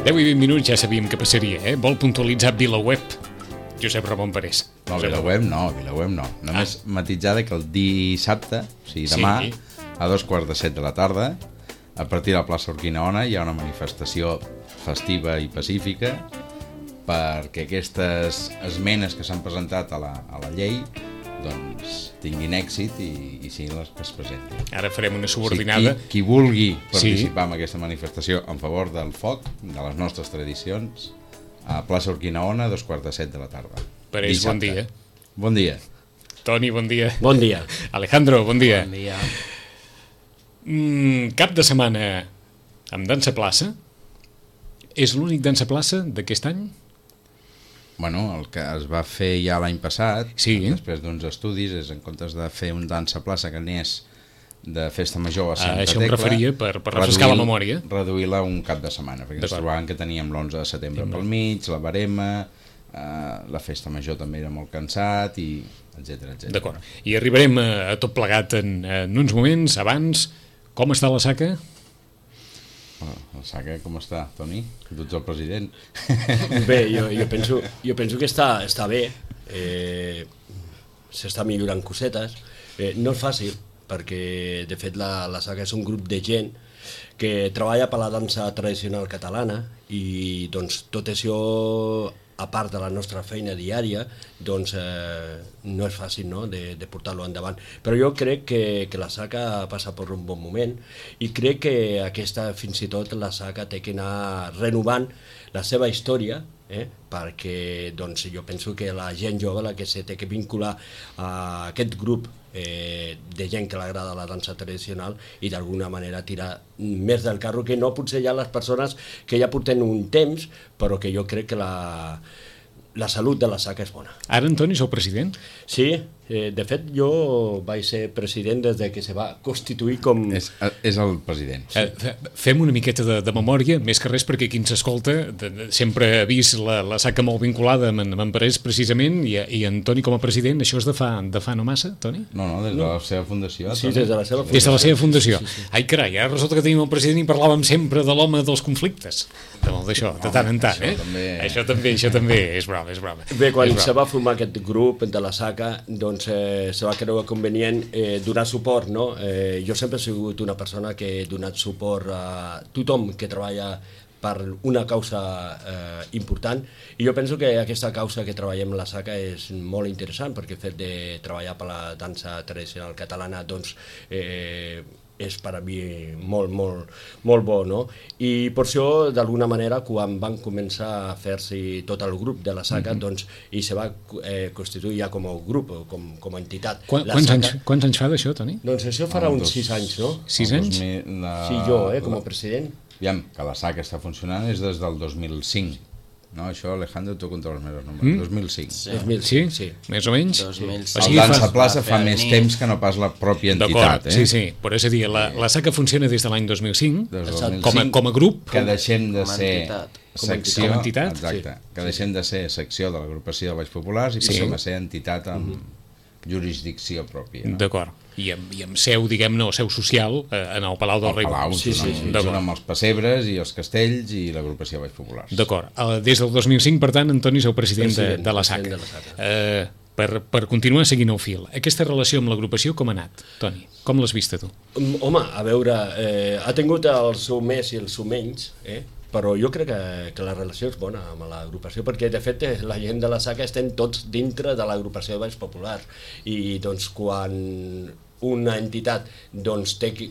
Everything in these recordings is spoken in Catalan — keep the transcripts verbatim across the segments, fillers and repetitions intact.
deu i vint minuts ja sabíem que passaria, eh? Vol puntualitzar VilaWeb, Josep Ramon Parés. No, VilaWeb no, VilaWeb no. Només ah. matisar que el dissabte, o sigui, demà, sí. a dos quarts de set de la tarda, a partir de la plaça Urquinaona hi ha una manifestació festiva i pacífica perquè aquestes esmenes que s'han presentat a la, a la llei doncs tinguin èxit i, i siguin les que es presentin. Ara farem una subordinada. O sigui, qui, qui vulgui participar sí. en aquesta manifestació en favor del foc, de les nostres tradicions, a plaça Urquinaona, a dos quarts de set de la tarda. Parés, bon dia. Bon dia. Toni, bon dia. Bon dia. Alejandro, bon dia. Bon dia. Mm, cap de setmana amb dansa plaça. És l'únic dansa plaça d'aquest any? Bueno, el que es va fer ja l'any passat, sí. després d'uns estudis, és en comptes de fer un dansa plaça que anés de festa major a Santa ah, Tecla... Això em referia per, per refrescar la memòria. Reduir-la un cap de setmana, perquè ens trobàvem que teníem l'onze de setembre pel mig, la barema, eh, la festa major també era molt cansat, i etcètera etcètera. D'acord, i arribarem a, a tot plegat en, en uns moments. Abans, com està la Saca? La Saca com està, Toni? Tu ets el president. Bé, jo, jo, penso, jo penso que està, està bé, eh, s'està millorant cosetes, eh, no és fàcil, perquè de fet la, la Saca és un grup de gent que treballa per la dansa tradicional catalana i doncs tot això, a part de la nostra feina diària, doncs eh, no és fàcil, no?, de, de portar-lo endavant. Però jo crec que, que la Saca passa per un bon moment i crec que aquesta, fins i tot, la Saca té que anar renovant la seva història, eh? perquè doncs, jo penso que la gent jove la que se té que vincular a aquest grup eh, de gent que l'agrada la dansa tradicional i d'alguna manera tirar més del carro, que no potser ja les persones que ja porten un temps, però que jo crec que la, la salut de la Saca és bona. Ara, Antoni, sou president? Sí, eh, de fet jo vaig ser president des de que se va constituir com... És, és el president. Sí. Eh, fem una miqueta de, de memòria, més que res perquè qui ens escolta de, de, sempre ha vist la, la Saca molt vinculada amb, amb en Parés precisament, i, i Antoni com a president. Això és de fa, de fa no massa, Toni? No, no, des de la seva fundació. Sí, des de la seva fundació. Des de la seva fundació. Sí, sí, sí. Ai, carai, ara resulta que tenim el president i parlàvem sempre de l'home dels conflictes. D'això, de tant en tant, eh? Això també, això també, això també és broma, és broma. Bé, quan se va formar aquest grup de la Saca, doncs eh, se va creure convenient eh, donar suport, no? Eh, jo sempre he sigut una persona que he donat suport a tothom que treballa per una causa eh, important, i jo penso que aquesta causa que treballem la Saca és molt interessant, perquè el fet de treballar per la dansa tradicional catalana doncs eh, és per a mi molt, molt, molt bo, no? I per això, d'alguna manera, quan van començar a fer-se tot el grup de la Saca, mm-hmm. doncs, i se va eh, constituir ja com a grup, com, com a entitat. Quan, quants, Saca, anys, quants anys fa d'això, Toni? Doncs això farà ah, uns dos, sis anys, no? Sis anys? La, sí, jo, eh, com a president. Aviam, que la Saca està funcionant és des del dos mil cinc. No, això, Alejandro, tu contra els meus números. Mm? dos mil cinc. Sí. dos mil cinc, sí, sí. Més o menys? dos mil cinc. O sigui, el Dansa Plaça fa més temps que no pas la pròpia entitat, eh? Sí, sí, però és a dir, la, la Saca funciona des de l'any dos mil cinc, dos mil cinc com, a, com a grup. Que deixem de ser secció, com a entitat. Exacte, sí. Que deixem de ser secció de l'agrupació de Baix Populars i passem sí. a ser entitat amb mm-hmm. jurisdicció pròpia. No? D'acord. I amb, i amb seu, diguem-ne, seu social eh, en el Palau del Rei. El Palau, sí, sí, sí. Junt amb els pessebres i els castells i l'agrupació Baix Populars. D'acord. Des del dos mil cinc, per tant, Antoni, sou president, president de, de la Saca. De la Saca. Eh, per, per continuar seguint el fil, aquesta relació amb l'agrupació com ha anat, Toni? Com l'has vista tu? Home, a veure, eh, ha tingut el seu més i el seu menys, eh? Però jo crec que, que la relació és bona amb l'agrupació, perquè de fet la gent de la Saca estem tots dintre de l'agrupació de Baix Popular, i doncs quan una entitat doncs, té que,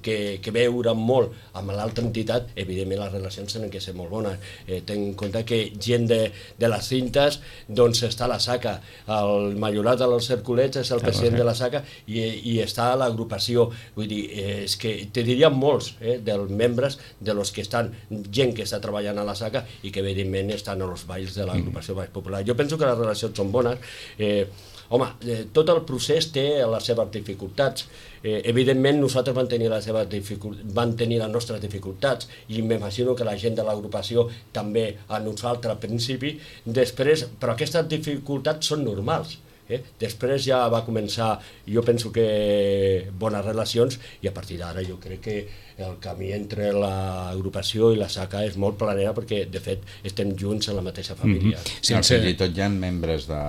que, que veure molt amb l'altra entitat, evidentment les relacions tenen que ser molt bones. Eh, ten en compte que gent de, de les cintes doncs està a la Saca, el Majorat dels Cerculets és el president de la Saca i, i està a l'agrupació. Vull dir, eh, és que te diria molts eh, dels membres de los que estan, gent que està treballant a la Saca i que evidentment estan a los balls de l'agrupació Baix Popular. Jo penso que les relacions són bones. Eh, Home, eh, tot el procés té les seves dificultats. Eh, evidentment nosaltres vam tenir, les seves dificult... vam tenir les nostres dificultats i m'imagino que la gent de l'agrupació també a nosaltres al principi. Després, però aquestes dificultats són normals. Eh? Després ja va començar, jo penso que bones relacions, i a partir d'ara jo crec que el camí entre l'agrupació i la SACA és molt planera, perquè de fet estem junts en la mateixa família. Mm-hmm. Sense... No, fins i tot hi ha membres de,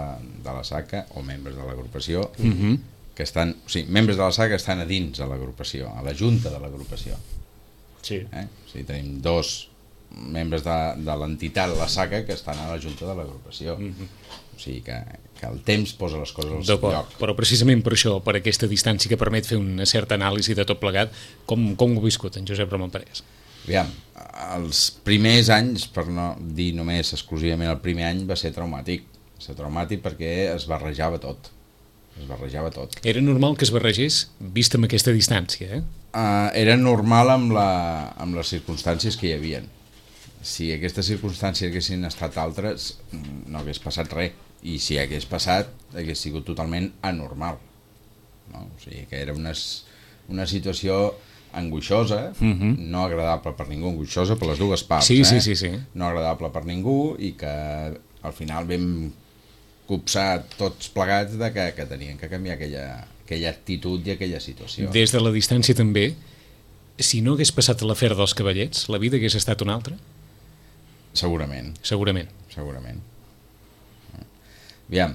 de la SACA o membres de l'agrupació mm-hmm. que estan, o sigui, membres de la SACA estan a dins de l'agrupació, a la junta de l'agrupació. Sí. Eh? O sigui, tenim dos membres de, de l'entitat, la SACA, que estan a la junta de l'agrupació. Mm-hmm. O sigui que, que el temps posa les coses al seu lloc. Però precisament per això, per aquesta distància que permet fer una certa anàlisi de tot plegat, com, com ho ha viscut en Josep Ramon Parés? Aviam, els primers anys, per no dir només exclusivament el primer any, va ser traumàtic. Va ser traumàtic perquè es barrejava tot. Es barrejava tot. Era normal que es barregés, vist amb aquesta distància, eh? Uh, era normal amb, la, amb les circumstàncies que hi havia. Si aquestes circumstàncies haguessin estat altres, no hagués passat res. I si hagués passat, hagués sigut totalment anormal. No? O sigui que era una, una situació angoixosa, uh-huh. no agradable per ningú, angoixosa per les dues parts, sí, eh? sí, sí, sí. No agradable per ningú, i que al final vam copsar tots plegats de que, que tenien que canviar aquella, aquella actitud i aquella situació. Des de la distància també, si no hagués passat l'afer dels cavallets, la vida hagués estat una altra? Segurament. Segurament. Segurament. Aviam,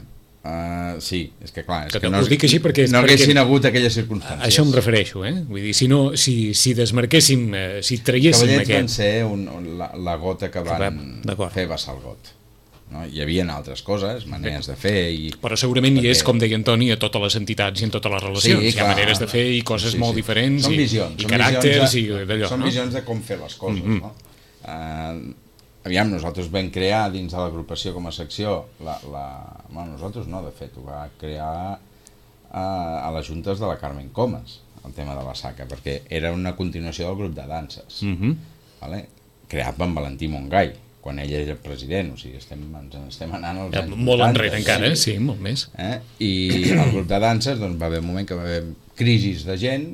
uh, sí, és que clar, és que que no, dic així perquè, no haguessin perquè, hagut aquelles circumstàncies. A això em refereixo, eh? Vull dir, si, no, si, si desmarquéssim, eh, si traiéssim Cavallets aquest... van ser un, un, la, la gota que van fer vessar el got. No? Hi havia altres coses, maneres de fer... I... Però segurament perquè... hi és, com deia Antoni, a totes les entitats i en totes les relacions. Sí, hi ha maneres de fer i coses sí, sí. molt diferents, són i, visions, i són caràcters de, i d'allò. Són no? visions de com fer les coses, mm-hmm. no? Uh, aviam, nosaltres vam crear dins de l'agrupació com a secció, la, la... bueno, nosaltres no, de fet, ho va crear uh, a les juntes de la Carmen Comas, el tema de la SACA, perquè era una continuació del grup de danses, mm-hmm. vale? Creat per Valentí Montgai, quan ell era president, o sigui, estem, ens estem anant als anys molt vuitanta, enrere encara, eh? Sí, molt més. Eh? I el grup de danses, doncs, va haver un moment que va haver crisis de gent,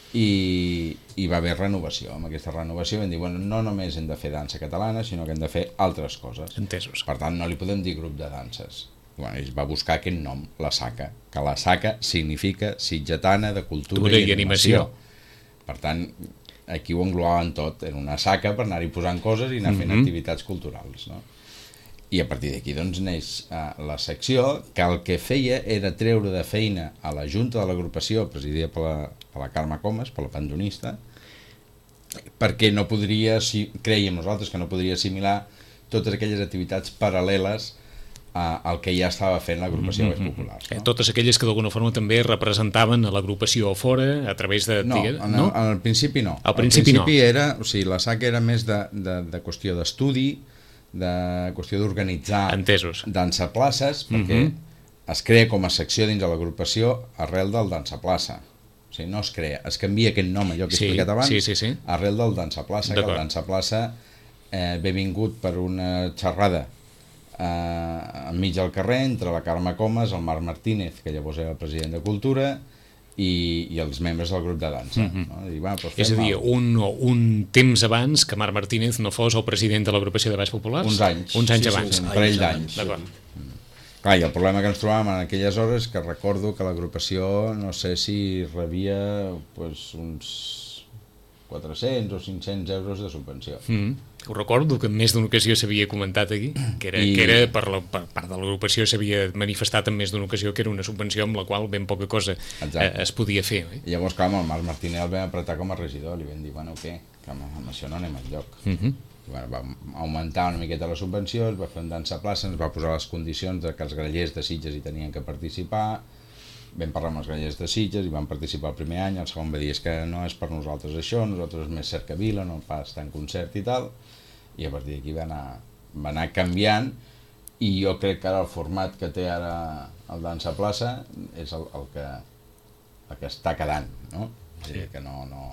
i hi va haver renovació. Amb aquesta renovació vam dir, bueno, no només hem de fer dansa catalana, sinó que hem de fer altres coses. Entesos. Per tant, no li podem dir grup de danses. Bueno, ell va buscar aquest nom, la SACA, que la SACA significa Sitgetana de Cultura i, i Animació. Animació. Per tant, aquí ho englobaven tot, era una SACA per anar-hi posant coses i anar fent mm-hmm. activitats culturals, no? I a partir d'aquí doncs neix uh, la secció, que el que feia era treure de feina a la junta de l'agrupació, presidida per la, per la Carme Comas, per la pandonista, perquè no podria, si, creiem nosaltres que no podria assimilar totes aquelles activitats paral·leles uh, al que ja estava fent l'agrupació mm-hmm. Baix Populars. No? Totes aquelles que d'alguna forma també representaven a l'agrupació fora, a través de... No, digues, en, no? al principi no. Al principi, al principi no. era, o sigui, la SACA era més de, de, de qüestió d'estudi, de qüestió d'organitzar dansa places, perquè mm-hmm. es crea com a secció dins de l'agrupació arrel del dansa plaça. O sigui, no es crea, es canvia aquest nom, allò que he sí, explicat abans, sí, sí, sí. arrel del dansa plaça, que el dansa plaça eh, ve vingut per una xerrada eh, enmig del carrer entre la Carme Comas, el Marc Martínez, que llavors era el president de Cultura, I, i els membres del grup de dansa. Mm-hmm. No? I, bueno, doncs és a dir, un, un temps abans que Marc Martínez no fos el president de l'agrupació de Baix Populars? Uns anys. Uns anys sí, abans. Sí, un parell d'anys. D'acord. Mm. Clar, i el problema que ens trobàvem en aquelles hores que recordo que l'agrupació, no sé si rebia pues, uns quatre-cents o cinc-cents euros de subvenció. Mm. Ho recordo que en més d'una ocasió s'havia comentat aquí, que era, I... que era per, la, per part de l'agrupació s'havia manifestat en més d'una ocasió que era una subvenció amb la qual ben poca cosa eh, es podia fer. Eh? I llavors, clar, amb el Marc Martínez el vam apretar com a regidor, li vam dir, bueno, què? Que amb, amb això no anem enlloc. Mm-hmm. I, bueno, va augmentar una miqueta la subvenció, es va fer un dansa plaça, ens va posar les condicions de que els grallers de Sitges hi tenien que participar, vam parlar amb els grallers de Sitges i van participar el primer any, el segon va dir, és que no és per nosaltres això, nosaltres és més cercavila, no pas tant concert i tal, i a partir d'aquí va anar, va anar canviant, i jo crec que ara el format que té ara el dansa plaça és el, el, que, el que està quedant, no? És a dir, que no, no,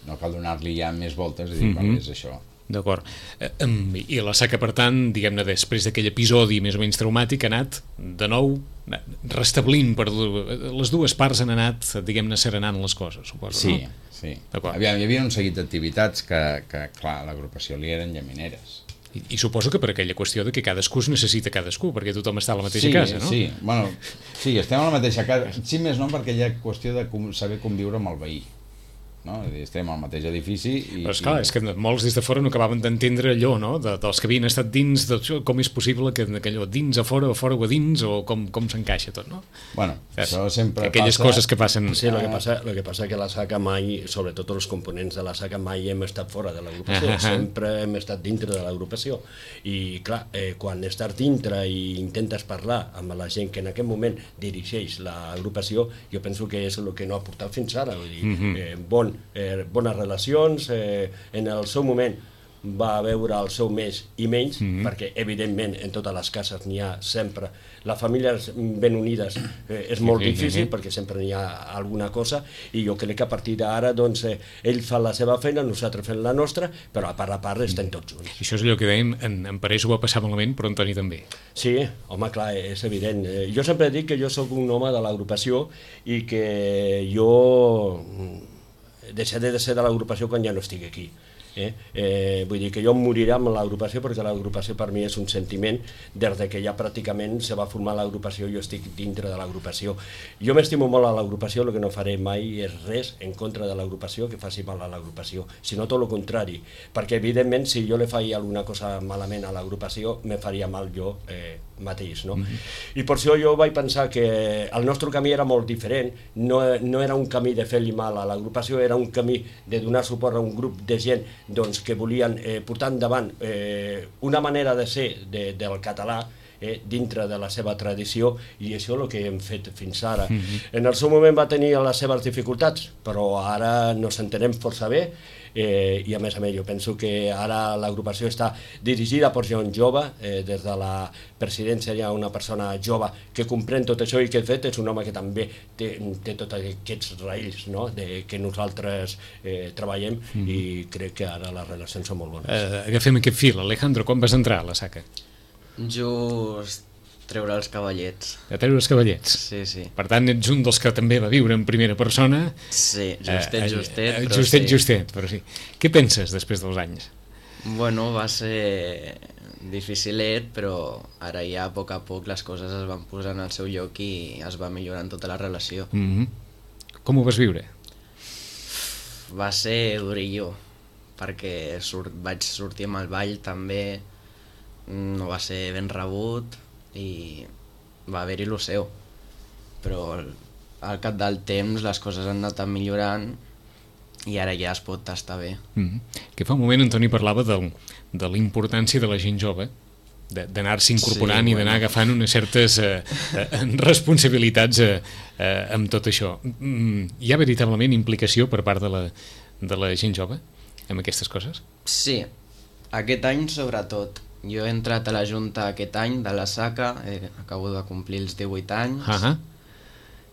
no cal donar-li ja més voltes, és a dir, mm-hmm. és això. D'acord. I la SACA, per tant, diguem-ne, després d'aquell episodi més o menys traumàtic, ha anat, de nou, restablint, per les dues parts han anat, diguem-ne, serenant les coses, suposo, sí, no? Sí, sí. Hi havia un seguit d'activitats que, que, clar, a l'agrupació li eren llamineres. I, I suposo que per aquella qüestió de que cadascú es necessita cadascú, perquè tothom està a la mateixa sí, casa, no? Sí, bueno, sí, estem a la mateixa casa. Sí, més no, perquè hi ha qüestió de com, saber conviure amb el veí. No? Estem al mateix edifici i, però esclar, i... és que molts des de fora no acabaven d'entendre allò, no? De, dels que havien estat dins, de, com és possible que, que allò dins a fora, a fora o a dins, o com, com s'encaixa tot, no? Bueno, Saps? això sempre aquelles passa... coses que passen... Sí, el que passa, lo que passa que la SACA mai, sobretot els components de la SACA, mai hem estat fora de l'agrupació, uh -huh. sempre hem estat dintre de l'agrupació. I clar, eh, quan estàs dintre i intentes parlar amb la gent que en aquest moment dirigeix l'agrupació, jo penso que és el que no ha portat fins ara, vull dir, uh -huh. eh, bon, eh, bones relacions, eh, en el seu moment va veure el seu més i menys, mm -hmm. perquè evidentment en totes les cases n'hi ha sempre, les famílies ben unides eh, és molt sí, difícil sí, sí. perquè sempre n'hi ha alguna cosa, i jo crec que a partir d'ara doncs, eh, ell fa la seva feina, nosaltres fem la nostra, però a part a part estem tots junts. I això és allò que dèiem, en, en Parés ho va passar malament, però en Toni també. Sí, home, clar, és evident. Eh, jo sempre dic que jo sóc un home de l'agrupació i que jo deixaré de ser de l'agrupació quan ja no estigui aquí. Eh? Eh, vull dir que jo em moriré amb l'agrupació, perquè l'agrupació per mi és un sentiment. Des de que ja pràcticament se va formar l'agrupació, jo estic dintre de l'agrupació. Jo m'estimo molt a l'agrupació, el que no faré mai és res en contra de l'agrupació que faci mal a l'agrupació, sinó tot el contrari, perquè evidentment si jo le faria alguna cosa malament a l'agrupació me faria mal jo eh, mateix, no? Mm-hmm. I per això jo vaig pensar que el nostre camí era molt diferent, no, no era un camí de fer-li mal a l'agrupació, era un camí de donar suport a un grup de gent doncs, que volien eh, portar endavant eh, una manera de ser de, del català eh, dintre de la seva tradició, i això és el que hem fet fins ara. Mm-hmm. En el seu moment va tenir les seves dificultats, però ara nos entenem força bé, eh, i a més a més jo penso que ara l'agrupació està dirigida per gent jove, eh, des de la presidència hi ha una persona jove que comprèn tot això, i que de fet és un home que també té, té tots aquests raïls, no? De, que nosaltres eh, treballem, mm. i crec que ara les relacions són molt bones. Uh, agafem aquest fil. Alejandro, quan vas entrar a la SACA? Just treure els cavallets. A treure els cavallets? Sí, sí. Per tant, ets un dels que també va viure en primera persona. Sí, justet, uh, justet, uh, però justet, sí. justet, però sí. Què penses després dels anys? Bueno, va ser dificilet, però ara ja a poc a poc les coses es van posar en el seu lloc i es va millorant tota la relació. Mm-hmm. Com ho vas viure? Va ser durillo, perquè surt, vaig sortir amb el ball també, no va ser ben rebut i va haver-hi lo seu, però al, al cap del temps les coses han anat millorant i ara ja es pot estar bé. Mm-hmm. Que fa un moment en Toni parlava de, de la importància de la gent jove, d'anar-se incorporant sí, i d'anar bueno. agafant unes certes eh, eh, responsabilitats eh, eh, amb tot això. Mm, hi ha veritablement implicació per part de la, de la gent jove amb aquestes coses? Sí, aquest any sobretot. Jo he entrat a la Junta aquest any de la SACA, eh, acabo de complir els divuit anys, uh -huh.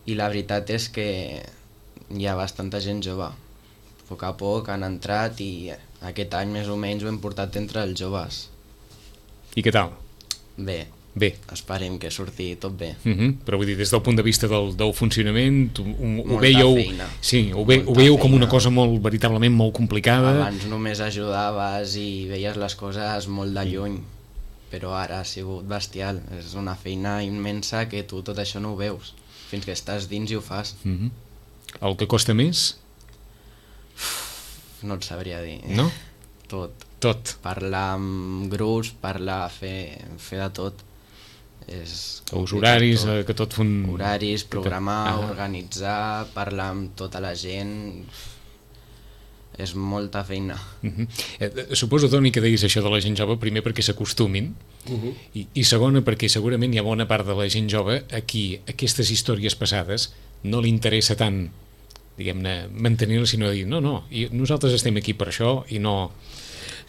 i la veritat és que hi ha bastanta gent jove. A poc a poc han entrat i aquest any més o menys ho hem portat entre els joves. I què tal? Bé. Bé. Esperem que surti tot bé. Uh -huh. Però vull dir, des del punt de vista del, del funcionament, ho, ho Molta veieu, feina. Sí, ho, ve, ho veieu com una cosa molt, veritablement molt complicada. Abans només ajudaves i veies les coses molt de lluny, però ara ha sigut bestial. És una feina immensa que tu tot això no ho veus, fins que estàs dins i ho fas. Uh -huh. El que costa més? No et sabria dir. No? Tot. Tot. Parlar amb grups, parlar, fer, fer de tot. És els horaris, tot. que tot fun... Horaris, programar, ah. organitzar, parlar amb tota la gent... És molta feina. Uh -huh. eh, suposo, Toni, que deies això de la gent jove, primer perquè s'acostumin, uh -huh. i, i segona perquè segurament hi ha bona part de la gent jove a qui aquestes històries passades no li interessa tant, diguem-ne, mantenir-les, sinó dir, no, no, i nosaltres estem aquí per això i no...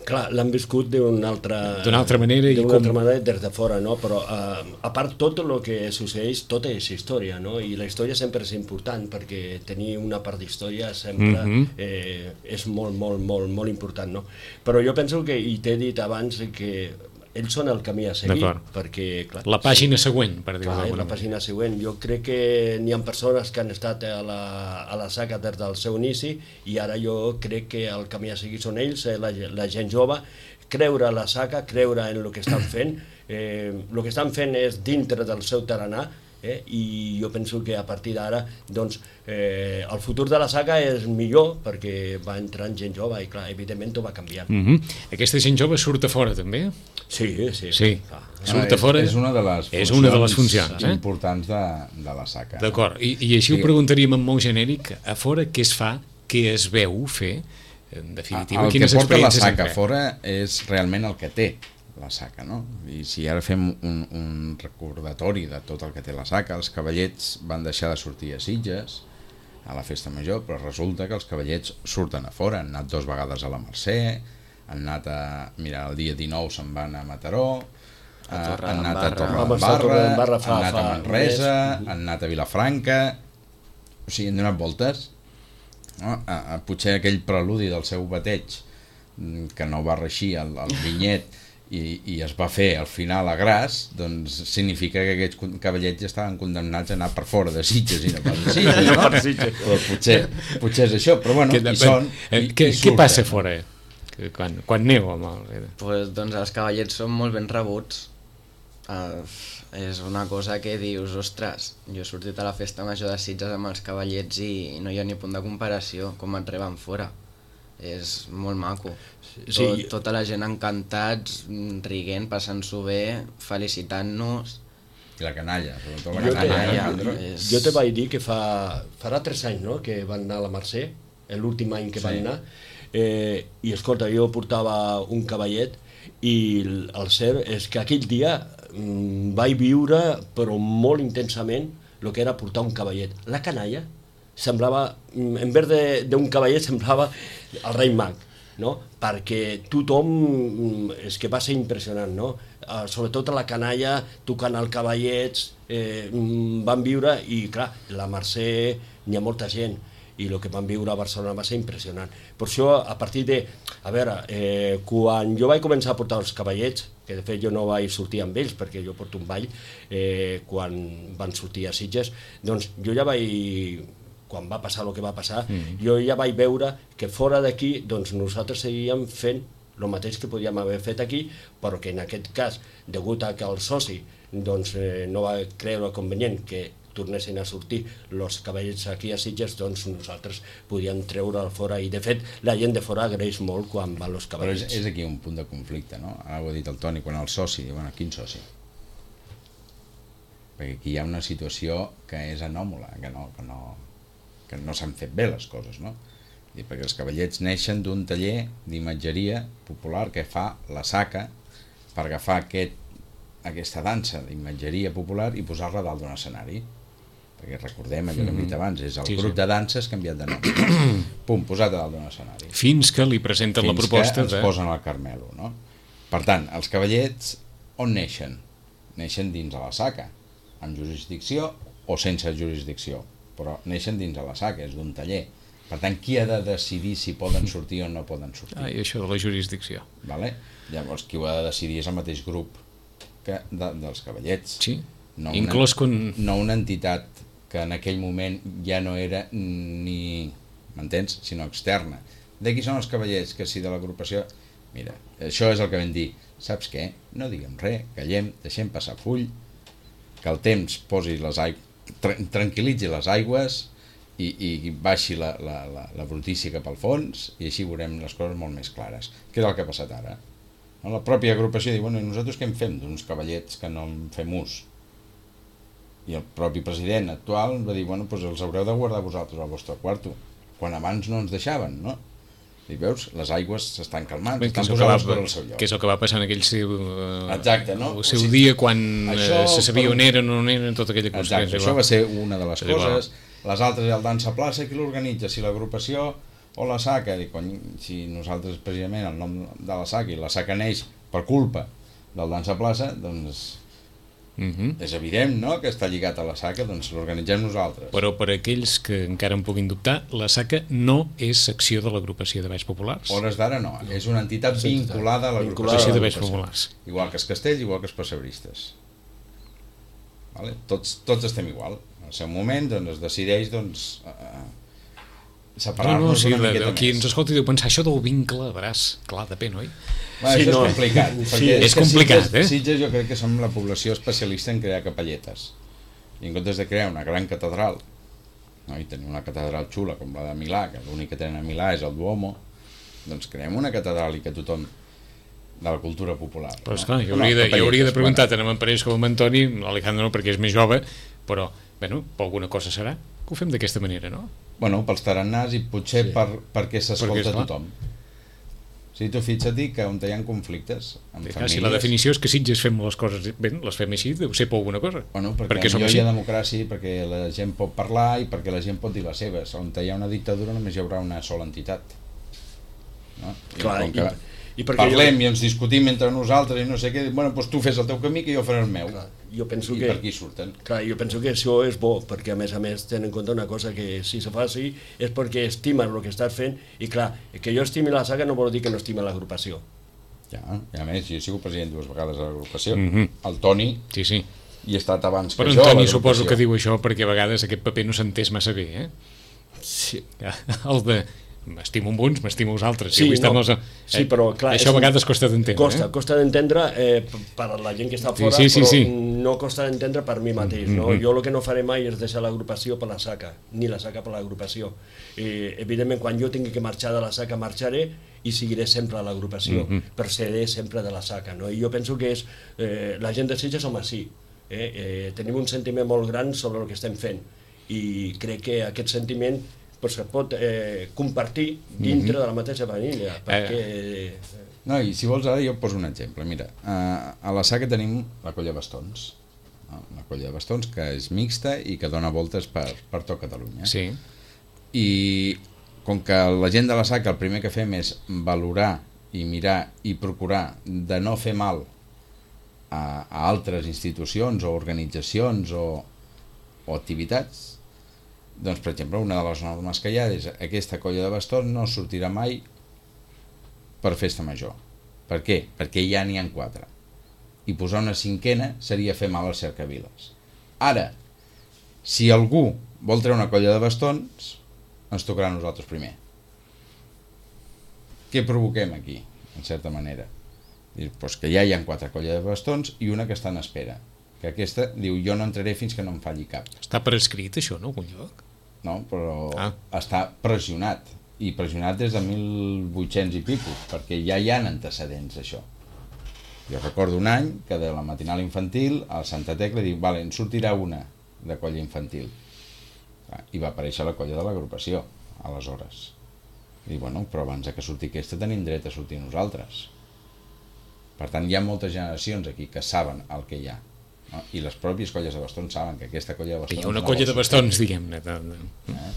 Clar, l'han viscut d'una altra, altra manera, i com... com... altra manera des de fora, no? Però uh, a part tot el que succeeix, tota és història, no? I la història sempre és important, perquè tenir una part d'història sempre mm-hmm. eh, és molt, molt, molt, molt important, no? Però jo penso que, i t'he dit abans, que ells són el camí a seguir, perquè... Clar, la pàgina sí, següent, per dir-ho d'alguna manera. La pàgina següent. Jo crec que n'hi ha persones que han estat a la, a la SACA des del seu inici, i ara jo crec que el camí a seguir són ells, la, la gent jove, creure a la saca, creure en el que estan fent. Eh, el que estan fent és dintre del seu tarannà, eh? I jo penso que a partir d'ara doncs, eh, el futur de la saga és millor perquè va entrant gent jove i clar, evidentment ho va canviant. Mm -hmm. Aquesta gent jove surt a fora també? Sí, sí. Sí, ah, surt a fora. És, és una de les és una de les funcions eh? importants de, de la saca. D'acord, I, i així sí. Ho preguntaríem en molt genèric, a fora què es fa, què es veu fer, en definitiva, el quines que porta la experiències saca a fora és realment el que té la saca, no? I si ara fem un, un recordatori de tot el que té la saca, els cavallets van deixar de sortir a Sitges a la festa major, però resulta que els cavallets surten a fora, han anat dues vegades a la Mercè, han anat a... Mira, el dia dinou se'n van a Mataró, a han anat a Torredembarra, han anat a Manresa, han anat a Vilafranca, o sigui, han donat voltes, no? A, a potser aquell preludi del seu bateig que no va reixir el, el vinyet i, i es va fer al final a gras, doncs significa que aquests cavallets ja estaven condemnats a anar per fora de Sitges i no pas de Sitges, no? Però potser, potser és això, però bueno, hi són i, què, i què passa fora quan, quan neu? Home? Pues, doncs els cavallets són molt ben rebuts. Uh, és una cosa que dius, ostres, jo he sortit a la festa major de Sitges amb els cavallets i no hi ha ni punt de comparació com et reben fora. És molt maco. Sí. Tot, tota la gent encantats, riguent, passant-s'ho bé, felicitant-nos. I la canalla, sobretot la jo canalla. Te, eh? és... Jo te vaig dir que fa, farà tres anys, no?, que van anar a la Mercè, l'últim any que sí. van anar, eh, i escolta, jo portava un cavallet i el cert és que aquell dia mm, vaig viure, però molt intensament, el que era portar un cavallet. La canalla semblava, en vez d'un cavallet, semblava el rei mag, no? Perquè tothom, és que va ser impressionant, no? Uh, sobretot a la canalla, tocant el cavallets, eh, van viure, i clar, la Mercè n'hi ha molta gent, i el que van viure a Barcelona va ser impressionant. Per això, a partir de... A veure, eh, quan jo vaig començar a portar els cavallets, que de fet jo no vaig sortir amb ells, perquè jo porto un ball, eh, quan van sortir a Sitges, doncs jo ja vaig... quan va passar el que va passar, mm. jo ja vaig veure que fora d'aquí doncs nosaltres seguíem fent el mateix que podíem haver fet aquí, però que en aquest cas, degut a que el soci doncs, eh, no va creure convenient que tornessin a sortir els cavallets aquí a Sitges, doncs nosaltres podíem treure fora, i de fet la gent de fora agraeix molt quan van els cavallets. Però és, és aquí un punt de conflicte, no? Ara ho ha dit el Toni, quan el soci, bueno, quin soci? Perquè aquí hi ha una situació que és anòmala, que no, que no, que no s'han fet bé les coses, no? I perquè els cavallets neixen d'un taller d'imatgeria popular que fa la saca per agafar aquest, aquesta dansa d'imatgeria popular i posar-la dalt d'un escenari. Perquè recordem allò que hem dit abans, és el sí, grup sí. de danses canviat de nom. Pum, posat a dalt d'un escenari. Fins que li presenten Fins la proposta que ens de... posen al Carmelo, no? Per tant, els cavallets on neixen? Neixen dins de la saca, amb jurisdicció o sense jurisdicció, però neixen dins de la saca, és d'un taller. Per tant, qui ha de decidir si poden sortir o no poden sortir? Ah, i això de la jurisdicció. Vale? Llavors, qui ho ha de decidir és el mateix grup que de, dels cavallets. Sí, no inclòs una, con... no una entitat que en aquell moment ja no era ni, m'entens, sinó externa. De qui són els cavallets? Que si de l'agrupació... Mira, això és el que vam dir. Saps què? No diguem res, callem, deixem passar full, que el temps posi les aigües, tranquil·litzi les aigües i, i baixi la, la, la, la brutícia cap al fons, i així veurem les coses molt més clares. Què és el que ha passat ara? La pròpia agrupació diu, bueno, i nosaltres què en fem d'uns cavallets que no en fem ús? I el propi president actual va dir, bueno, doncs els haureu de guardar vosaltres al vostre quarto, quan abans no ens deixaven, no? I veus, les aigües s'estan calmant, Bé, estan posades per al seu lloc. Que és el que va passar en aquell seu, uh, Exacte, no? el seu o sigui, dia quan això, se sabia per... on eren o no eren, tota aquella cosa. Exacte, això va ser una de les és coses. Igual. Les altres, el Dansa Plaça, qui l'organitza? Si l'agrupació o la saca? I, cony, si nosaltres, precisament, el nom de la saca, i la saca neix per culpa del Dansa Plaça, doncs... Uh-huh. És evident, no?, que està lligat a la saca, doncs l'organitzem nosaltres. Però per aquells que encara en puguin dubtar, la saca no és secció de l'agrupació de Balls Populars. Hores d'ara no, és una entitat vinculada a l'agrupació de Balls Populars. Igual que els castells, igual que els pessebristes. Vale? Tots, tots estem igual. Al seu moment doncs, es decideix doncs, eh, separar-nos no, no, sí, una miqueta qui més. ens escolta i deu pensar això del vincle, veràs, clar, depèn, oi? Bueno, Sí, això no. és complicat. Sí, perquè és que complicat, Sitges, eh? Sitges jo crec que som la població especialista en crear capelletes. I en comptes de crear una gran catedral, no, i tenir una catedral xula com la de Milà, que l'únic que tenen a Milà és el Duomo, doncs creem una catedral i que tothom de la cultura popular. Però no? esclar, jo No, hauria de, jo capelletes, hauria de preguntar bueno. tant amb en Parés com amb Antoni, l'Alejandro no, perquè és més jove, però, bueno, per alguna cosa serà que ho fem d'aquesta manera, no? Bueno, pels tarannars i potser Sí. per, perquè s'escolta Perquè, esclar. tothom. Si tu fixa't que on hi ha conflictes amb Clar, famílies... si la definició és que Sitges fem les coses bé, les fem així, deu ser per alguna cosa. Bueno, perquè, perquè som millor així. hi ha democràcia, perquè la gent pot parlar i perquè la gent pot dir les seves. On hi ha una dictadura només hi haurà una sola entitat. No? I Clar, com i- que i perquè parlem jo- i ens discutim entre nosaltres i no sé què, bueno, doncs tu fes el teu camí que jo faré el meu. Clar, jo penso I que... per aquí surten. Clar, jo penso que això és bo, perquè a més a més ten en compte una cosa, que si se fa així és perquè estimes el que estàs fent, i clar, que jo estimi la saga no vol dir que no estime l'agrupació. Ja, i a més, jo he sigut president dues vegades a l'agrupació. Mhm. El Toni Sí, sí. hi ha estat abans Però que jo a Antoni l'agrupació. suposo que diu això perquè a vegades aquest paper no s'entès massa bé, eh? Sí, El de m'estimo amb uns, m'estimo els altres. Sí, Jo vull estar no. amb els- Sí, però, clar, això és a un- vegades costa d'entendre. costa, eh? costa d'entendre eh, p- per a la gent que està Sí, fora, sí, sí, però sí. no costa d'entendre per mi mateix. No? Mhm. Jo el que no faré mai és deixar l'agrupació per la saca, ni la saca per l'agrupació. Eh, evidentment, quan jo tingui que marxar de la saca, marxaré i seguiré sempre a l'agrupació, Mhm. però seré sempre de la saca. No? I jo penso que és, eh, la gent de Sitges som així. Eh? Eh, tenim un sentiment molt gran sobre el que estem fent, i crec que aquest sentiment pues, es pot eh, compartir dintre Mhm. de la mateixa família, perquè... Eh, No, i si vols ara jo et poso un exemple. Mira, a, a la saca tenim la colla de bastons. No? Una colla de bastons que és mixta i que dona voltes per, per tot Catalunya. Sí. I com que la gent de la saca el primer que fem és valorar i mirar i procurar de no fer mal a, a altres institucions o organitzacions o, o activitats, doncs, per exemple, una de les normes que hi ha és aquesta colla de bastons no sortirà mai per festa major. Per què? Perquè ja n'hi ha quatre. I posar una cinquena seria fer mal als cercaviles. Ara, si algú vol treure una colla de bastons, ens tocarà a nosaltres primer. Què provoquem aquí, en certa manera? Dir, doncs que ja hi ha quatre colles de bastons i una que està en espera. Que aquesta diu, jo no entraré fins que no em falli cap. Està per escrit això, no, algun lloc? No? Però Ah. està pressionat. I pressionat des de mil vuit-cents i pico, perquè ja hi ha antecedents d'això. Jo recordo un any que de la matinal infantil al Santa Tecla diu, vale, en sortirà una de colla infantil. I va aparèixer la colla de l'agrupació, aleshores. I bueno, però abans de que surti aquesta tenim dret a sortir nosaltres. Per tant, hi ha moltes generacions aquí que saben el que hi ha. No? I les pròpies colles de bastons saben que aquesta colla de bastons... Hi ha una no colla vol de sortir. bastons, diguem-ne. de- de- Eh?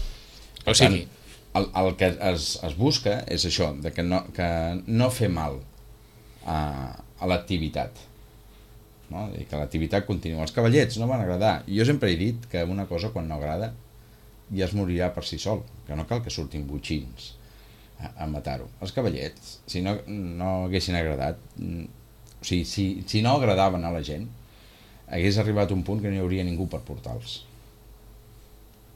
O sigui, el, el que es, es busca és això, de que no, que no fer mal a, a l'activitat, no? I que l'activitat continua. Els cavallets no van agradar. Jo sempre he dit que una cosa quan no agrada ja es morirà per si sol, que no cal que surtin botxins a, a matar-ho. Els cavallets, si no, no haguessin agradat, mm, o sigui, si, si no agradaven a la gent, hagués arribat un punt que no hi hauria ningú per portar-los.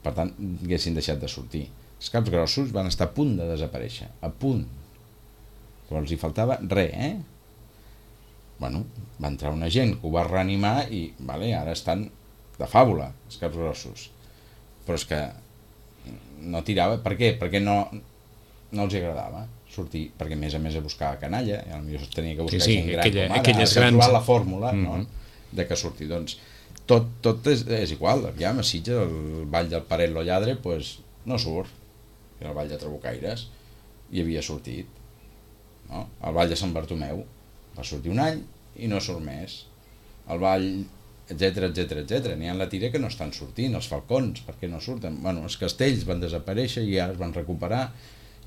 Per tant, haguessin deixat de sortir. Els caps grossos van estar a punt de desaparèixer, a punt. Però els hi faltava res, eh? Bueno, va entrar una gent que ho va reanimar i, vale, ara estan de fàbula, els caps grossos. Però és que no tirava. Per què? Perquè no, no els hi agradava sortir, perquè a més a més a buscar canalla, i potser es tenia que buscar Sí, sí, gent gran aquella- com ara, aquelles has de grans- trobar la fórmula, Mhm. no?, de que surti. Doncs tot, tot és, és igual, ja a Sitges, el ball del Paret lo lladre, pues, no surt, era el ball de Trabucaires, i havia sortit, no? El ball de Sant Bartomeu va sortir un any i no surt més, el ball, etc etc etc. N'hi ha la tira que no estan sortint, els falcons, per què no surten? Bueno, els castells van desaparèixer i ja es van recuperar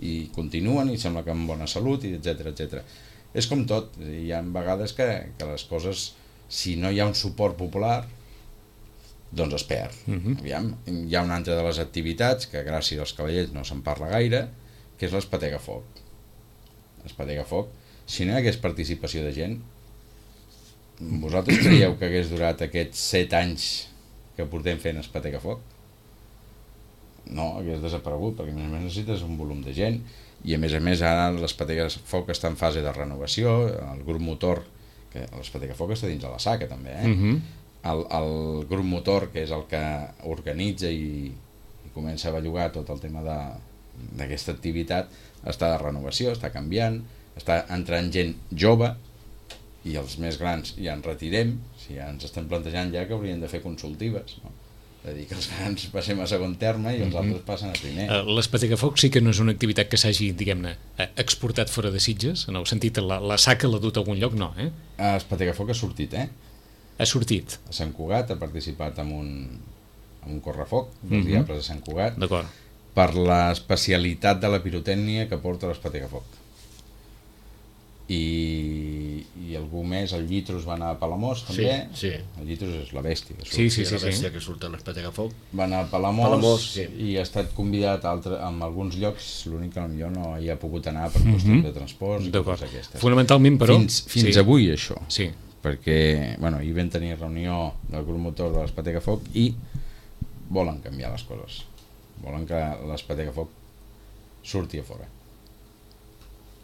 i continuen i sembla que amb bona salut, i etc etc. És com tot, hi ha vegades que, que les coses, si no hi ha un suport popular, doncs es perd. Mhm. Aviam, hi ha una altra de les activitats que gràcies als cavallets no se'n parla gaire, que és l'espatega foc. L'espatega foc, si no hi hagués participació de gent, vosaltres creieu que hagués durat aquests set anys que portem fent espatega foc? no, hagués desaparegut, perquè a més a més necessites un volum de gent, i a més a més ara l'Espatega Foc està en fase de renovació, el grup motor, que l'Espatega Foc està dins de la SACA també, eh? Uh-huh. el, el grup motor, que és el que organitza i, i comença a bellugar tot el tema d'aquesta activitat, està de renovació, està canviant, està entrant gent jove, i els més grans ja ens retirem, si ja ens estem plantejant ja que haurien de fer consultives, no? És a dir, que els grans passem a segon terme i els mm-hmm. altres passen a primer. L'Espatega Foc sí que no és una activitat que s'hagi, diguem-ne, exportat fora de Sitges, en el sentit, la, la SACA l'ha dut a algun lloc, no, eh? L'Espatega Foc ha sortit, eh? Ha sortit. A Sant Cugat ha participat en un, en un correfoc dels mm-hmm. Diables de Sant Cugat. D'acord. Per l'especialitat de la pirotècnia que porta l'Espatega Foc. I, i algú més, el Llitros va anar a Palamós també, sí, sí. El Llitros és la bèstia que surt, sí, sí, sí, la bèstia sí. que surt a l'Espatega Foc, va anar a Palamós, Palamós sí. I ha estat convidat a altre, en alguns llocs, l'únic que potser no hi ha pogut anar per qüestions mm-hmm. de transport i coses aquestes. Fonamentalment, però... Fins, fins sí. avui això, sí. Perquè bueno, hi vam tenir reunió del grup motor de l'Espatega Foc i volen canviar les coses, volen que l'Espatega Foc surti a fora.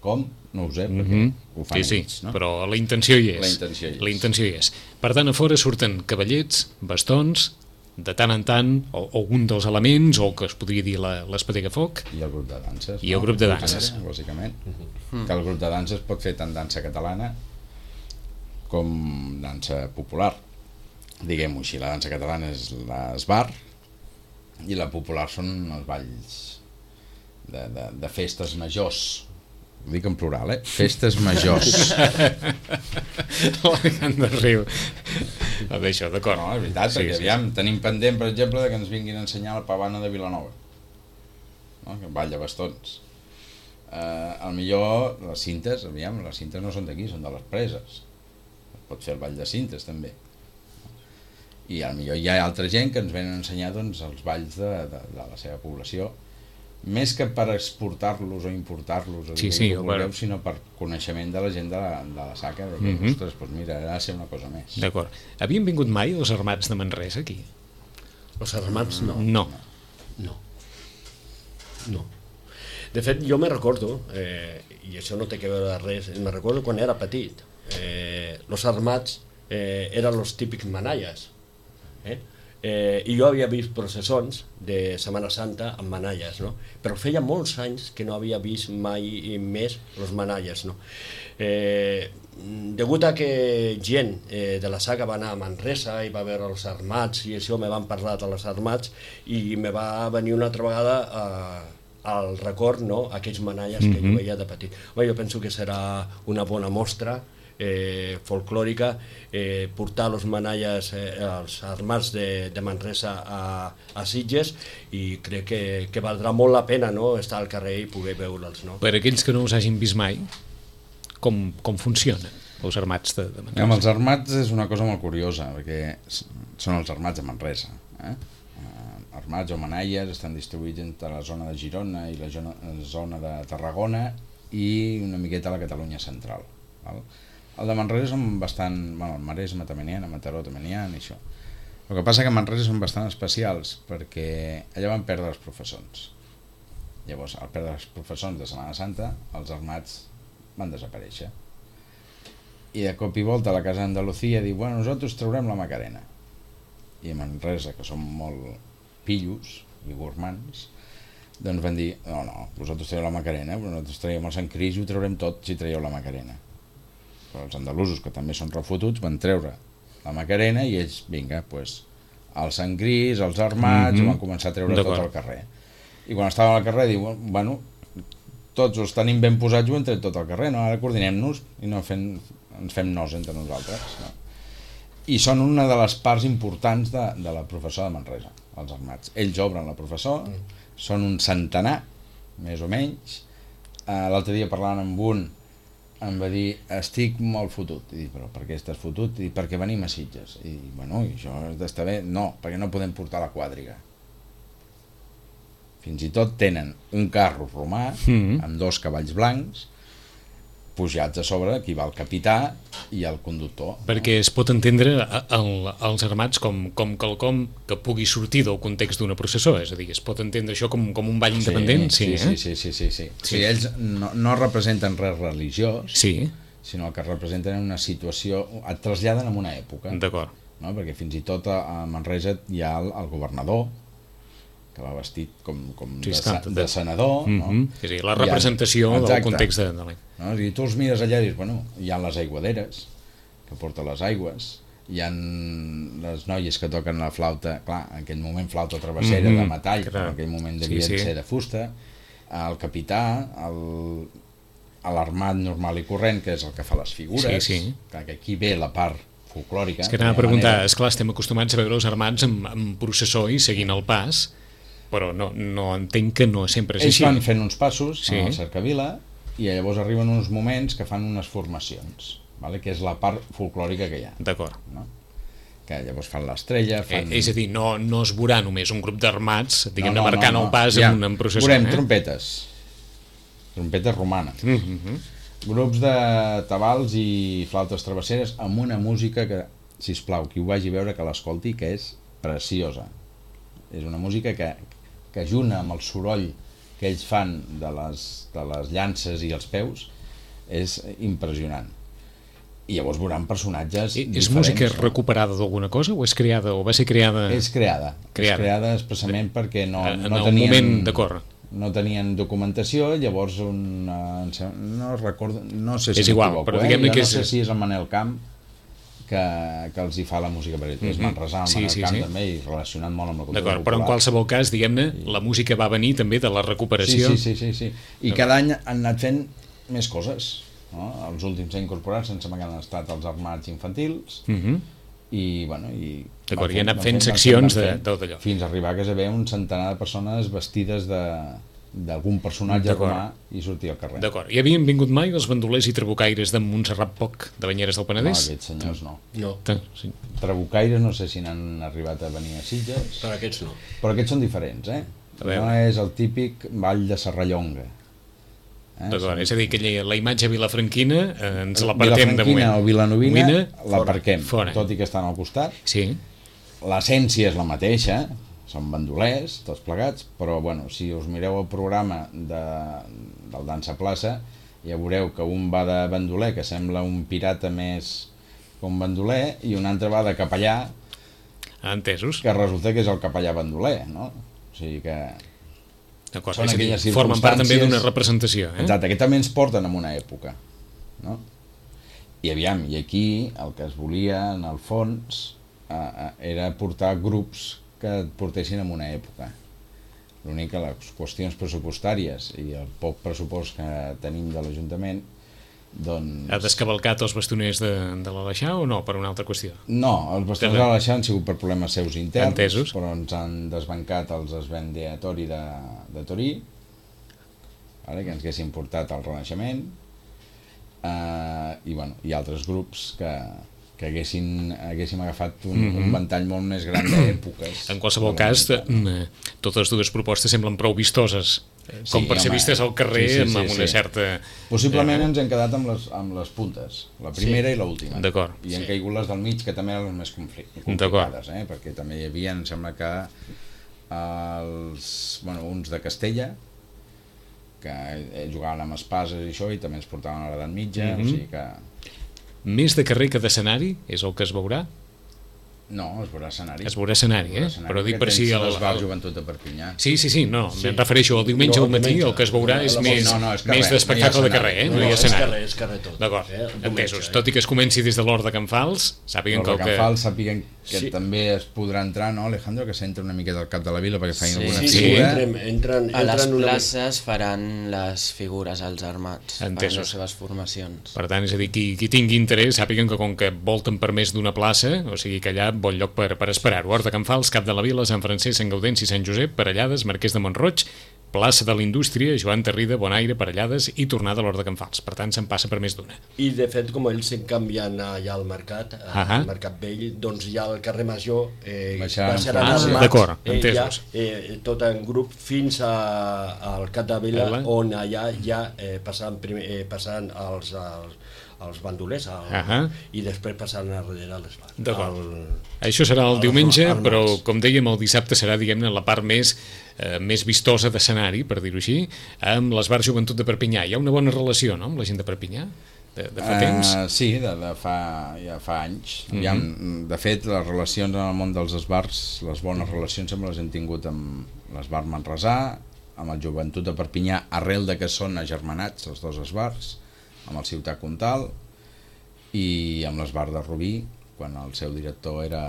Com? No ho sé, perquè mm-hmm. ho fan sí, ells, sí, no? Però la intenció hi és. La intenció hi és. La intenció hi és. Per tant, a fora surten cavallets, bastons, de tant en tant, o, o un dels elements, o que es podria dir l'Espatega Foc. I el grup de danses. I el no? grup de danses. Bàsicament. Mm-hmm. Que el grup de danses pot fer tant dansa catalana com dansa popular. Diguem-ho així, la dansa catalana és l'esbar i la popular són els balls de, de, de festes majors. Ho dic en plural, eh? Festes majors. L'Alacant de Riu. No, d'això, d'acord. No, és veritat, perquè sí, aviam, sí. Tenim pendent, per exemple, de que ens vinguin a ensenyar la pavana de Vilanova. No? Que balla bastons. Eh, al millor, les cintes, aviam, les cintes no són d'aquí, són de les preses. Pot fer el ball de cintes, també. I al millor hi ha altra gent que ens venen a ensenyar doncs, els balls de, de, de la seva població, més que per exportar-los o importar-los o sí, sí, vulgueu, bueno. Sinó per coneixement de la gent de la, de la SACA, de que, mm-hmm. ostres, doncs mira, ha de ser una cosa més. D'acord. Havien vingut mai els armats de Manresa aquí? Els armats no. No. No. No. De fet, jo me recordo, eh, i això no té que veure res, me recordo quan era petit, eh, els armats eh, eren els típics manalles, eh? Eh, i jo havia vist processons de Setmana Santa amb manalles, no? Però feia molts anys que no havia vist mai més els manalles, no? Eh, degut a que gent eh, de la SACA va anar a Manresa i va veure els armats i això me van parlar de els armats i me va venir una altra vegada eh, al record, no? Aquells manalles mm-hmm. que jo veia de petit. Bé, jo penso que serà una bona mostra Eh, folclòrica, eh, portar els manalles, eh, els armats de, de Manresa a, a Sitges i crec que, que valdrà molt la pena, no? Estar al carrer i poder veure'ls, no? Per aquells que no us hagin vist mai, com, com funciona els armats de, de Manresa? Amb els armats és una cosa molt curiosa, perquè són els armats de Manresa, eh? Armats o manalles estan distribuïts entre la zona de Girona i la zona, la zona de Tarragona i una miqueta a la Catalunya central, val? El de Manresa són bastant... Bueno, el Maresme també n'hi ha, a Mataró també n'hi ha, i això. El que passa que a Manresa són bastant especials, perquè allà van perdre els professors. Llavors, al perdre els professors de Setmana Santa, els armats van desaparèixer. I de cop i volta la Casa d'Andalucía diu, bueno, nosaltres traurem la Macarena. I a Manresa, que són molt pillos i gormans, doncs van dir, no, no, vosaltres traieu la Macarena, però nosaltres traiem el Sant Cris i ho traurem tot si traieu la Macarena. Però els andalusos, que també són refotuts, van treure la Macarena i ells, vinga, doncs, el Sant Cris, els armats, mm-hmm. van començar a treure tot al carrer. I quan estàvem al carrer, diu, bueno, tots els tenim ben posats, ho hem tret tot al carrer, no? Ara coordinem-nos i no fem, ens fem nos entre nosaltres. No? I són una de les parts importants de, de la professora de Manresa, els armats. Ells obren la professora, mm. són un centenar, més o menys. Uh, L'altre dia parlant amb un, em va dir, estic molt fotut. I dic, però per què estàs fotut? I dic, perquè venim a Sitges. I dic, bueno, i això has d'estar bé? No, perquè no podem portar la quadriga. Fins i tot tenen un carro romà, mm-hmm. amb dos cavalls blancs, pujats a sobre, aquí va el capità i el conductor. Perquè es pot entendre el, els armats com, com quelcom que pugui sortir del context d'una processó, és a dir, es pot entendre això com, com un ball independent? Sí, Sí, sí, sí, sí, sí, sí. sí. sí ells no, no representen res religiós, sí. sinó que representen una situació, et traslladen en una època. D'acord. No? Perquè fins i tot a Manresa hi ha el, el governador, que va vestit com, com sí, de, està, de senador, mm -hmm. no? És a dir, la representació ha, del context de, de l'any. No? I tu els mires allà i dius, bueno, hi ha les aiguaderes, que porten les aigües, hi ha les noies que toquen la flauta, clar, en aquell moment flauta travessera mm -hmm. de metall, clar. Però en aquell moment devien sí, sí. ser de fusta, el capità, el, l'armat normal i corrent, que és el que fa les figures, sí, sí. que aquí ve la part folclòrica. És que anava a preguntar, esclar, estem acostumats a veure els armats amb, amb processó i seguint el pas, però no, no entenc que no sempre és Ells així. Ells van fent uns passos sí. a la cercavila i llavors arriben uns moments que fan unes formacions, vale? Que és la part folclòrica que hi ha. D'acord. No? Que llavors fan l'estrella... Fan... Eh, és a dir, no, no es veurà només un grup d'armats, diguem-ne, no, no, marcant no, no. el pas ja. amb una processó. Veurem eh? trompetes, trompetes romanes, mm -hmm. grups de tabals i flautes travesseres amb una música que, sisplau, qui ho vagi a veure que l'escolti, que és preciosa. És una música que, que ajuna amb el soroll que ells fan de les, de les llances i els peus, és impressionant. I llavors veuran personatges I, diferents. És música recuperada d'alguna cosa o és creada o va ser creada? És creada, creada. és creada expressament perquè no, en no el tenien... moment d'acord. No tenien documentació, llavors un, no recordo, no sé si és igual, m'equivoco, però eh? diguem-ne que no és... sé si és el Manel Camp que, que els hi fa la música per ells, mm -hmm. és Manresà, el sí, Manel sí, Camp sí. també, i relacionat molt amb la cultura D'acord, popular. però en qualsevol cas, diguem-ne, sí. la música va venir també de la recuperació. Sí, sí, sí, sí, sí. I cada any han anat fent més coses, no? Els últims anys incorporats sense que han estat els armats infantils, mm -hmm. i, bueno, i... D'acord, i han anat fent seccions d'allò. Fins a arribar a que ve un centenar de persones vestides de d'algun personatge romà i sortir al carrer. D'acord. I havien vingut mai els bandolers i trabucaires de Montserrat Poc, de Banyeres del Penedès? No, aquests senyors no. No. Sí. Trabucaires no sé si n'han arribat a venir a Sitges. Però aquests no. Però aquests són diferents, eh? No és el típic ball de Serrallonga. Eh? D'acord, és a dir, que la imatge vilafranquina eh, ens l'apartem de moment. Vilafranquina o vilanovina l'aparquem, tot i que estan al costat. Sí. L'essència és la mateixa, són bandolers, tots plegats, però bueno, si us mireu el programa de, del Dansa Plaça, ja veureu que un va de bandoler, que sembla un pirata més que un bandoler, i un altre va de capellà, entesos, que resulta que és el capellà bandoler, no? O sigui que... D'acord, és a dir, formen part també d'una representació. Eh? Exacte, que també ens porten en una època, no? I aviam, i aquí el que es volia, en el fons, eh, era portar grups que et portessin en una època. L'únic que les qüestions pressupostàries i el poc pressupost que tenim de l'Ajuntament, doncs... Ha descavalcat els bastoners de, de l'Aleixar o no, per una altra qüestió? No, els bastoners de l'Aleixar han sigut per problemes seus interns, entesos, però ens han desbancat els esvendeatori de, de Torí, vale, que ens haguessin portat al Renaixement, eh, i, bueno, i altres grups que... que haguessin, haguéssim agafat un, mm-hmm. un ventall molt més gran d'èpoques. En qualsevol cas, de, totes dues propostes semblen prou vistoses, sí, com per ser vistes al carrer, sí, sí, sí, amb una sí. certa... Possiblement eh... ens hem quedat amb les, amb les puntes, la primera sí. i l'última. D'acord. I han sí. caigut les del mig, que també eren les més complicades, eh? Perquè també hi havia, em sembla que els, bueno, uns de Castella, que jugaven amb espases i això, i també ens portaven a l'edat mitja, mm-hmm. o sigui que... Més de carrer que d'escenari és el que es veurà? No, es veurà escenari. Es veurà escenari, eh? escenari, però dic per si... El... el... Joventut de Perpinyà. Sí, sí, sí, no, sí. Em refereixo al diumenge no, al matí, el que es veurà és més, no, no, és carrer, més d'espectacle no de carrer, eh? No, no hi ha escenari. És carrer, és carrer tot. D'acord, eh? entesos. Tot i que es comenci des de l'Hort de Can Fals, sàpiguen que... L'Hort de Can Fals sàpiguen que sí. també es podrà entrar, no, Alejandro, que s'entra una miqueta al cap de la vila perquè facin sí. alguna sí, figura. Sí, entren, entren, a les entren places una... faran les figures als armats, entesos. Per les seves formacions. Per tant, és a dir, qui, qui tingui interès, sàpiguen que com que volten per més d'una plaça, o sigui que allà bon lloc per, per esperar-ho. Hort de Can Fals, Cap de la Vila, Sant Francesc, Sant Gaudenci, Sant Josep, Parellades, Marquès de Montroig, plaça de la Indústria, Joan Tarrida, Bonaire, Parellades i tornada a l'Hort de Can Fals. Per tant, se'n passa per més d'una. I de fet, com ells s'han canviat allà al mercat, Ahà. al Mercat Vell, doncs ja el carrer Major eh, Baixaran baixaran Ah, al maig, d'acord, eh, ja, entesos. eh, tot en grup fins a, al Cap de Vila, Vila. on allà ja eh, passaran, primer, eh, passaran els, els, els bandolers al, Ahà. i després passaran a darrere a les bars. D'acord. El- Això serà el al- diumenge, al però maig. com dèiem, el dissabte serà, diguem-ne, la part més, eh, més vistosa d'escenari, per dir-ho així, amb l'Esbar Joventut de Perpinyà. Hi ha una bona relació, no?, amb la gent de Perpinyà, de, de fa temps. Uh, sí, de, de fa, ja fa anys. Mhm. Aviam, de fet, les relacions en el món dels esbars, les bones relacions sempre les hem tingut amb l'esbar Manresà, amb el Joventut de Perpinyà, arrel de que són agermanats els dos esbars, amb el Ciutat Comtal i amb l'esbar de Rubí, quan el seu director era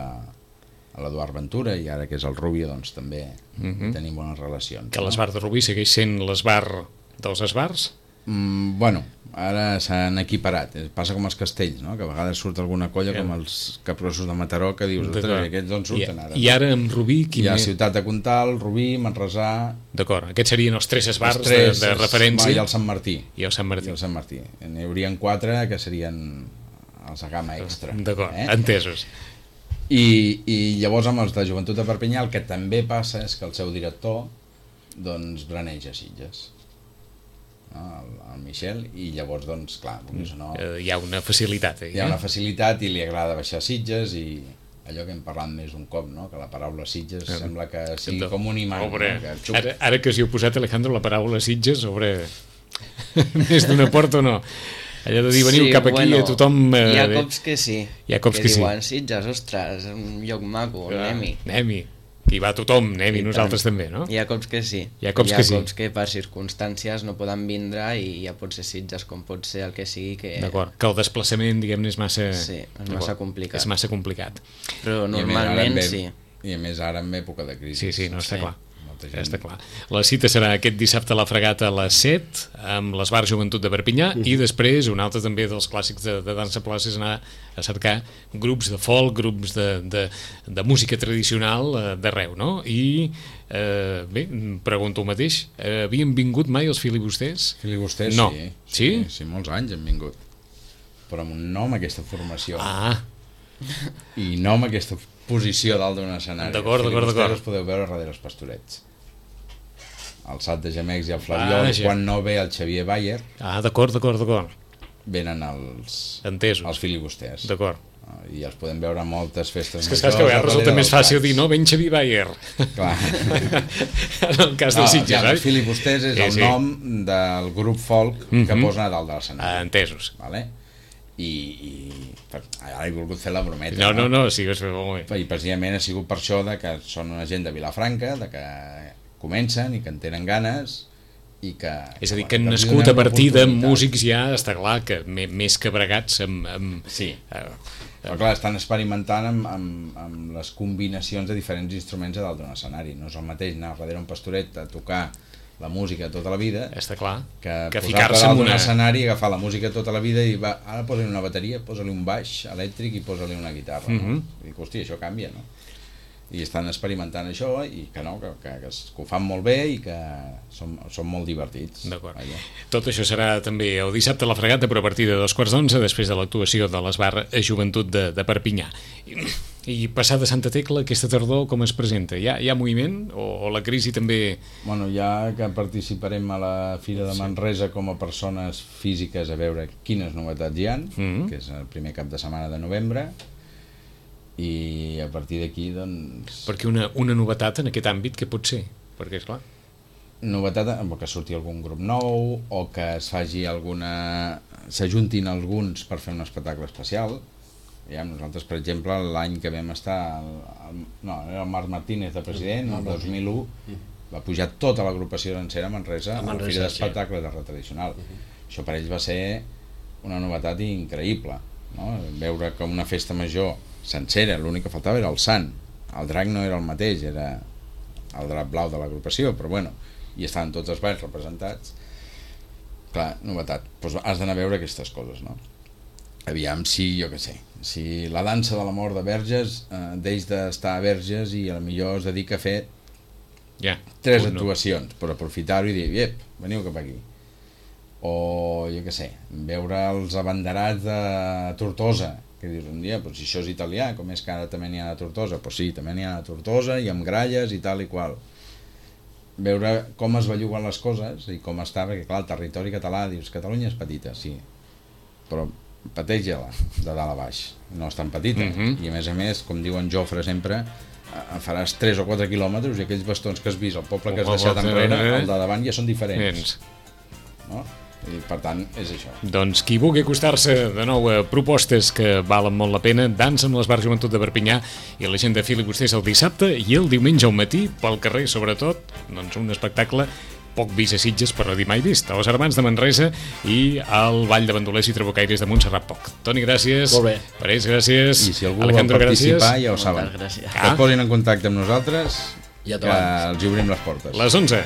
l'Eduard Ventura, i ara que és el Rubio, doncs també Mhm. tenim bones relacions. Que l'Esbar de Rubí segueix sent l'Esbar dels esbars. Mm, bueno, ara s'han equiparat. Eh, Passa com els castells, no?, que a vegades surt alguna colla Ja. com els capgrossos de Mataró, que dius, D'acord. ostres, aquests d'on surten ara? I, I ara amb Rubí... Qui Hi ha més? Ciutat de Comtal, Rubí, Manresà... D'acord, aquests serien els tres esbars els tres, de, de referència. I el Sant Martí. I el Sant Martí. I el Sant Martí. N'hi haurien quatre que serien els de gamma extra. D'acord, eh? entesos. I, I llavors amb els de Joventut de Perpinyà el que també passa és que el seu director doncs braneja Sitges, no? el, el Michel, i llavors doncs clar, vulguis o no, Eh, hi ha una facilitat. Eh? hi ha una facilitat i li agrada baixar Sitges, i allò que hem parlat més un cop, no?, que la paraula Sitges Eh, sembla que sigui Entonces, com un imant, obre, no? que xup. ara, ara que s'hi heu posat, Alejandro, la paraula Sitges sobre més d'una porta o no? Allò de dir, veniu Sí, cap aquí, bueno, a tothom... Eh, hi ha bé. cops que sí. Hi ha cops que sí. diuen, Sitges, ostres, un lloc maco, Ah, anem-hi. Anem-hi. Hi va tothom, anem-hi, I nosaltres tant. també, no? Hi ha cops que sí. Hi ha cops hi ha que sí. cops que per circumstàncies no poden vindre i ja pot ser Sitges com pot ser el que sigui que... D'acord, que el desplaçament, diguem-ne, és massa... Sí, és massa D'acord, complicat. És massa complicat. Però I a més, ara normalment en ve- sí. I a més ara en època de crisi. Sí, sí, no, està Sí. clar. Molta Ja gent- està clar. La cita serà aquest dissabte a la Fregata a les set, amb l'Esbar Joventut de Perpinyà, Mhm. i després un altre també dels clàssics de, de dansa plaça és anar a cercar grups de folk, grups de, de, de música tradicional eh, d'arreu, no? I, eh, bé, em pregunto el mateix, eh, havien vingut mai els filibusters? Filibusters, No. sí. Sí? sí. Sí, molts anys han vingut. Però amb un nom, aquesta formació. Ah, I no amb aquesta posició dalt d'un escenari. D'acord, Els d'acord, filibusters d'acord. els podeu veure darrere els pastorets. El Sat de Gemecs i el Flaviol, Vaja. quan no ve el Xavier Bayer, ah d'acord, d'acord, d'acord. venen els, Entesos. els filibusters. D'acord. I els podem veure a moltes festes És que saps que a vegades resulta més fàcil dir, no, ben Xavier Bayer. Clar. En el cas dels Sitges, ja, oi? els filibusters és Sí, el sí. nom del grup folk que Mhm. posen a dalt de Ah, l'escenari. entesos. Vale? I, i per, ara he volgut fer la brometa. No, no, no, sí, és molt bé. I precisament ha sigut per això de que són una gent de Vilafranca, de que comencen i que en tenen ganes i que... És a dir, bueno, que han els nascut donem a partir de l'oportunitat. músics ja, està clar, que me- més que bregats amb... amb Sí, eh, però clar, estan experimentant amb, amb, amb les combinacions de diferents instruments a dalt d'un escenari. No és el mateix anar darrere un pastoret a tocar la música tota la vida està clar, que, que posar-te ficar-se dalt en d'un una... escenari i agafar la música tota la vida i va, ara posa-li una bateria, posa-li un baix elèctric i posa-li una guitarra. Mhm. No? I dic, hòstia, això canvia, no? I estan experimentant això i que no, que, que, que, es- que ho fan molt bé i que són, són molt divertits. D'acord. Vaja. Tot això serà també el dissabte a la Fregata, però a partir de dos quarts d'onze, després de l'actuació de l'Esbar Joventut de, de Perpinyà. I, I passada Santa Tecla, aquesta tardor com es presenta? Hi ha, hi ha moviment? O, o la crisi també... Bueno, ja que participarem a la Fira de Manresa com a persones físiques a veure quines novetats hi ha, Mhm. que és el primer cap de setmana de novembre, i a partir d'aquí, doncs... Perquè una, una novetat en aquest àmbit, què pot ser? Perquè, esclar, Novetat, o que surti algun grup nou, o que es faci alguna... s'ajuntin alguns per fer un espectacle especial. Ja, nosaltres, per exemple, l'any que vam estar... El, el, no, era el Marc Martínez de president, el dos mil u, va pujar tota l'agrupació sencera a Manresa, A a la Manresa, Fira sí. d'Espectacles de Art Tradicional. Això per ells va ser una novetat increïble, no? Veure que una festa major sencera, l'únic que faltava era el sant. El drac no era el mateix, era el drac blau de l'agrupació, però bueno, i estaven tots els balls representats. Clar, novetat. Doncs has d'anar a veure aquestes coses, no? Aviam si, jo què sé, si la dansa de la mort de Verges eh, deix d'estar a Verges i a lo millor es dedica a fer Ja. Tres Un no. actuacions, per aprofitar-ho i dir, ep, veniu cap aquí. O, jo què sé, veure els abanderats de Tortosa, que dius un dia, però si això és italià, com és que ara també n'hi ha a Tortosa? Doncs sí, també n'hi ha a Tortosa i amb gralles i tal i qual. Veure com es belluguen les coses i com està, perquè clar, el territori català, dius, Catalunya és petita, sí, però pateix-la de dalt a baix, no és tan petita, Mhm. i a més a més, com diu en Jofre sempre, eh, faràs tres o quatre quilòmetres i aquells bastons que has vist, el poble que has Oh, deixat oh, enrere, eh? el de davant ja són diferents, Vens. no? I per tant, és això. Doncs qui vulgui acostar-se de nou a propostes que valen molt la pena, dansa amb l'Esbar Joventut de Perpinyà i la gent de Filibusters el dissabte i el diumenge al matí, pel carrer sobretot, doncs un espectacle poc vist a Sitges, però no dir mai vist, a les Germans de Manresa i al Ball de Bandolers i Trabucaires de Montserrat Poc. Toni, gràcies. Molt bé. Parés, gràcies. I si algú Alejandro, vol participar, gràcies. ja ho saben. Moltes gràcies. Que es posin en contacte amb nosaltres, Ja que t'abans. els hi obrim les portes. Les onze.